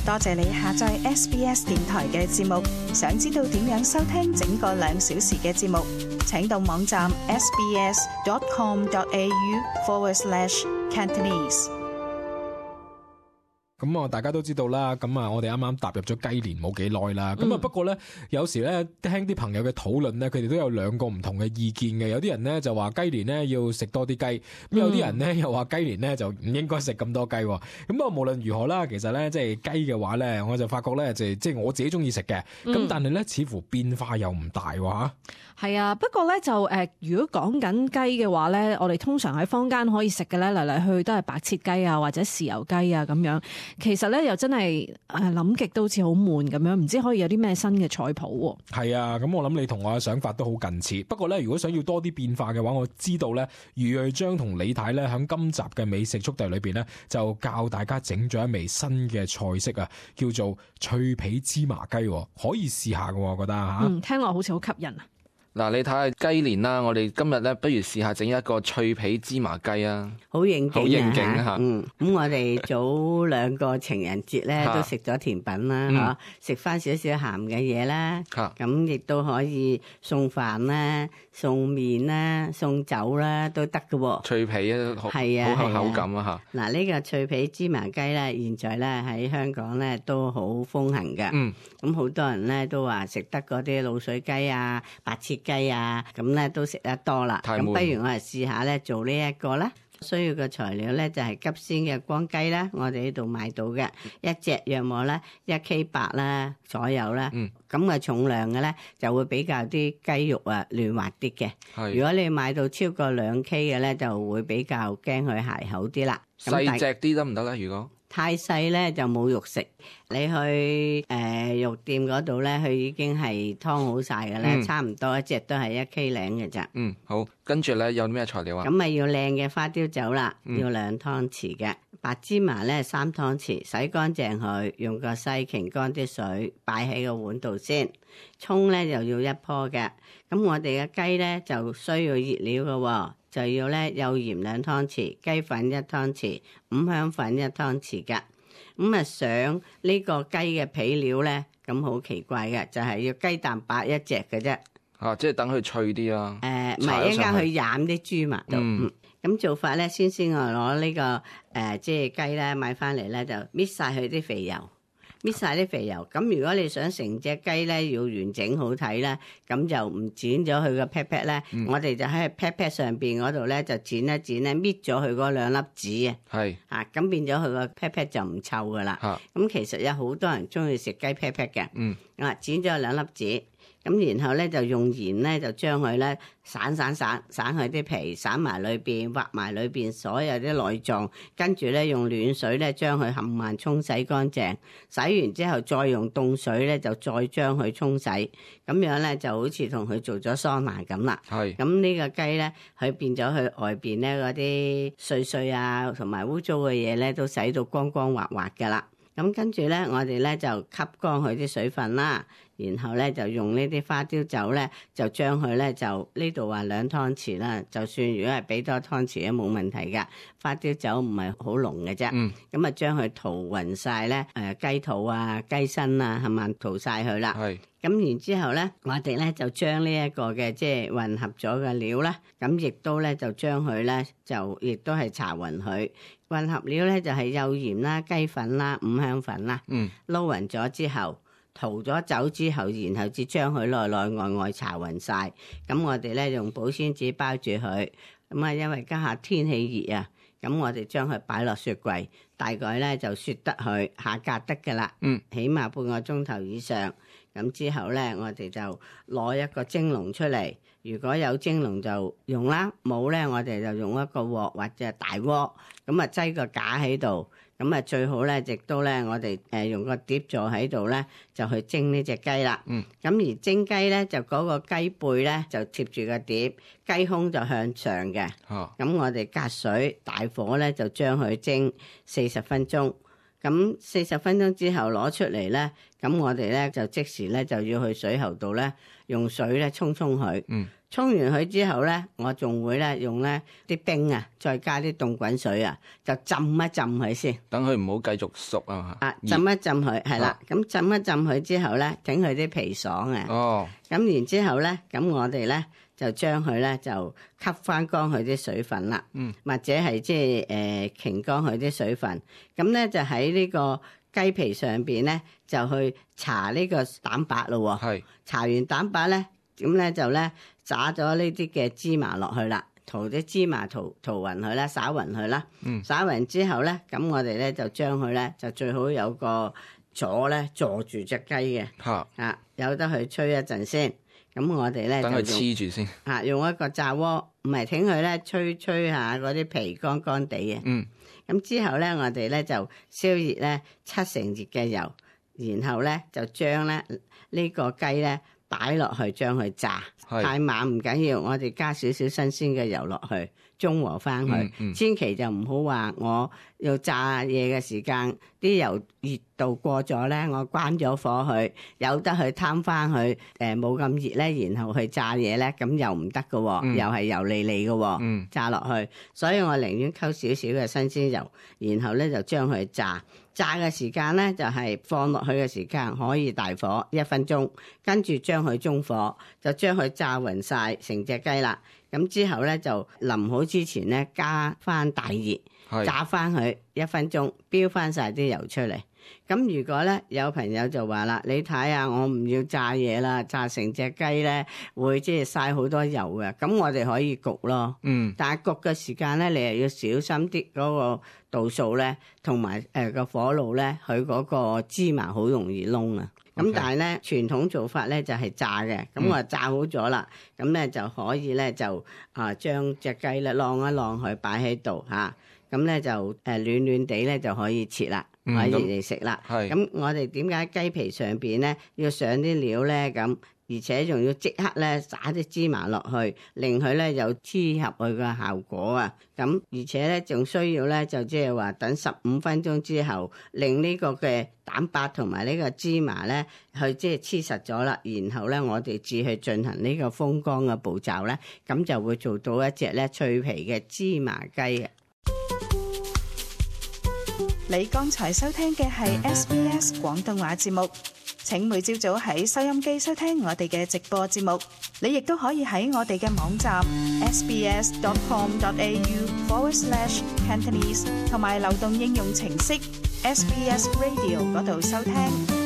多謝你下載 SBS 電台嘅節目。想知道點樣收聽整個2小時嘅節目，請到網站 sbs.com.au/Cantonese。咁啊，大家都知道啦。咁啊，我哋啱啱踏入咗雞年冇幾耐啦。咁啊，不過咧，有時咧聽啲朋友嘅討論咧，佢哋都有兩個唔同嘅意見嘅。有啲人咧就話雞年咧要食多啲雞，咁有啲人咧又話雞年咧就唔應該食咁多雞。咁啊，無論如何啦，其實咧即係雞嘅話咧，我就發覺咧即係我自己中意食嘅。咁但係咧似乎變化又唔大喎。係啊，不過咧就如果講緊雞嘅話咧，我哋通常喺坊間可以食嘅咧嚟嚟去去都係白切雞啊，或者豉油雞啊咁樣。其實咧又真係諗極都好似好悶咁樣，唔知可以有啲咩新嘅菜譜喎。係啊，咁我諗你同我嘅想法都好近似。不過咧，如果想要多啲變化嘅話，我知道咧余瑞章同李太咧喺今集嘅美食速遞裏邊咧，就教大家整咗一味新嘅菜式啊，叫做脆皮芝麻雞，可以試下嘅，我覺得嚇。聽落好似好吸引啊！嗱，你睇下雞年啦，我哋今日咧，不如試下整一個脆皮芝麻雞啊！好應景，好應景嚇。咁我哋早2個情人節咧都食咗甜品啦，食翻少少鹹嘅嘢啦。咁亦都可以送飯啦、送麵啦、送酒啦都得嘅喎。脆皮啊，係啊，好有口感啊嚇。嗱，呢個脆皮芝麻雞咧，現在咧喺香港咧都好風行嘅。咁好多人咧都話食得嗰啲滷水雞啊、白切雞啊，咁咧都食得多啦。咁不如我哋試下咧做呢一個啦。需要嘅材料咧就係急鮮嘅光雞啦，我哋呢度買到嘅一隻約莫咧1K8啦左右啦。咁嘅重量嘅咧就會比較啲雞肉啊嫩滑啲嘅。如果你買到超過2K嘅咧，就會比較驚佢鞋口啲啦。細隻啲得唔得咧？如果太細咧就冇肉食，你去肉店嗰度咧，佢已經係劏好晒嘅咧，差唔多一隻都係1K 零嘅咋。好，跟住咧有咩材料啊？咁咪要靚嘅花雕酒啦，要2湯匙嘅白芝麻咧3湯匙，洗乾淨佢，用個篩擎乾啲水，擺喺個碗度先。葱咧就要1棵嘅，咁我哋嘅雞咧就需要熱料嘅喎。就要咧幼鹽2湯匙，雞粉1湯匙，五香粉1湯匙㗎。咁啊上呢個雞嘅皮料咧，咁好奇怪嘅，就係要雞蛋白1隻嘅啫。即係等佢脆啲啊。唔係一陣去染啲芝麻度。咁做法咧，先我攞呢個即係雞咧買翻嚟咧，就搣晒佢啲肥油。搣晒啲肥油，咁如果你想成隻雞咧要完整好睇咧，咁就唔剪咗佢個 pat pat 咧，我哋就喺 pat pat 上邊嗰度咧就剪一剪咧，搣咗佢嗰2粒籽啊，咁變咗佢個 pat pat 就唔臭噶啦。咁其實有好多人中意食雞 pat pat 嘅，剪咗2粒籽。咁然後咧就用鹽咧就將佢咧散佢啲皮，散埋裏邊，挖埋裏邊所有啲內臟，跟住咧用暖水咧將佢冚唪唥沖洗乾淨，洗完之後再用凍水咧就再將佢沖洗，咁樣咧就好似同佢做咗桑拿咁啦。咁呢個雞咧，佢變咗佢外邊咧嗰啲碎碎啊同埋污糟嘅嘢咧都洗到光光滑滑噶啦。咁跟住咧，我哋咧就吸乾佢啲水分啦，然後咧就用呢啲花雕酒咧，就將佢咧就呢度話2湯匙啦，就算如果係俾多湯匙都冇問題噶。花雕酒唔係好濃嘅啫，咁啊將佢塗勻晒咧，雞肚啊、雞身啊，係咪塗晒佢啦？咁然之後咧，我哋咧就將呢一個嘅即係混合咗嘅料啦，咁亦都咧就將佢咧就亦都係搽勻佢。混合料咧就係幼鹽啦、雞粉啦、五香粉啦，撈勻咗之後，塗咗酒之後，然後至將佢內內外外搽勻晒。咁我哋咧用保鮮紙包住佢。咁啊，因為家下天氣熱啊，咁我哋將佢擺落雪櫃，大概咧就雪得佢下格得噶啦。起碼半個鐘頭以上。咁之後咧，我哋就攞一個蒸籠出嚟。如果有蒸籠就用啦，冇咧我哋就用一個鑊或者大鍋，咁啊擠個架喺度，咁啊最好咧亦都咧我哋用個碟座喺度咧就去蒸呢隻雞啦。咁而蒸雞咧就嗰個雞背咧就貼住個碟，雞胸就向上嘅。咁我哋隔水大火咧就將佢蒸40分鐘。咁40分鐘之後攞出嚟咧，咁我哋咧就即時咧就要去水喉度咧用水咧沖佢。沖完佢之後咧，我仲會咧用咧啲冰啊，再加啲凍滾水啊，就浸一浸佢先。等佢唔好繼續熟啊嘛。浸一浸佢係啦，咁浸一浸佢之後咧，整佢啲皮爽啊。咁然之後咧，咁我哋咧就將佢咧就吸翻乾佢啲水分啦。或者係即係擎乾佢啲水分。咁咧就喺呢個雞皮上邊咧就去搽呢個蛋白咯。係。搽完蛋白咧，咁咧就咧灑咗呢啲嘅芝麻落去啦，塗啲芝麻塗勻佢啦，灑勻佢啦。灑勻之後咧，咁我哋咧就將佢咧就最好有個座咧坐住隻雞嘅。有得去吹一陣先。咁我哋咧等佢黐住先。用一個炸鍋，唔係挺佢咧吹下嗰啲皮乾乾地嘅。咁之後咧，我哋咧就燒熱咧7成熱嘅油，然後咧就將咧呢個雞咧擺落去將佢炸。太猛唔緊要，我哋加少少新鮮嘅油落去，中和翻佢。千祈就唔好話我要炸嘢嘅時間，啲油熱度過咗咧，我關咗火去，由得佢攤翻去，冇咁熱咧，然後去炸嘢咧，咁又唔得嘅，又係油膩膩嘅，炸落去。所以我寧願溝少少嘅新鮮油，然後咧就將佢炸。炸嘅時間咧就係放落去嘅時間可以大火1分鐘，跟住將佢中火，就將佢炸勻晒成隻雞啦。咁之後咧就臨好之前咧加翻大熱，炸翻佢1分鐘，飆翻晒啲油出嚟。咁如果咧有朋友就話啦，你睇下我唔要炸嘢啦，炸成隻雞咧會即係嘥好多油嘅。咁我哋可以焗咯。但係焗嘅時間咧，你又要小心啲嗰個度數咧，同埋個火爐咧，佢嗰個芝麻好容易燶啊。咁但係咧傳統做法咧就係炸嘅。咁我炸好咗啦，咁咧就可以咧就將隻雞咧晾一晾佢擺喺度嚇。咁咧就暖暖地咧就可以切啦。可以嚟食啦。咁我哋點解雞皮上邊咧要上啲料咧？咁而且仲要即刻咧撒啲芝麻落去，令佢咧有黐合佢嘅效果啊！咁而且咧仲需要咧就即係話等15分鐘之後，令呢個嘅蛋白同埋呢個芝麻咧去即係黐實咗啦。然後咧我哋至去進行呢個風乾嘅步驟咧，咁就會做到一隻咧脆皮嘅芝麻雞啊！你剛才收聽嘅係 SBS 廣東話節目，請每朝早喺收音機收聽我哋嘅直播節目。你亦都可以喺我哋嘅網站 sbs.com.au/Cantonese 同埋流動應用程式 SBS Radio 嗰度收聽。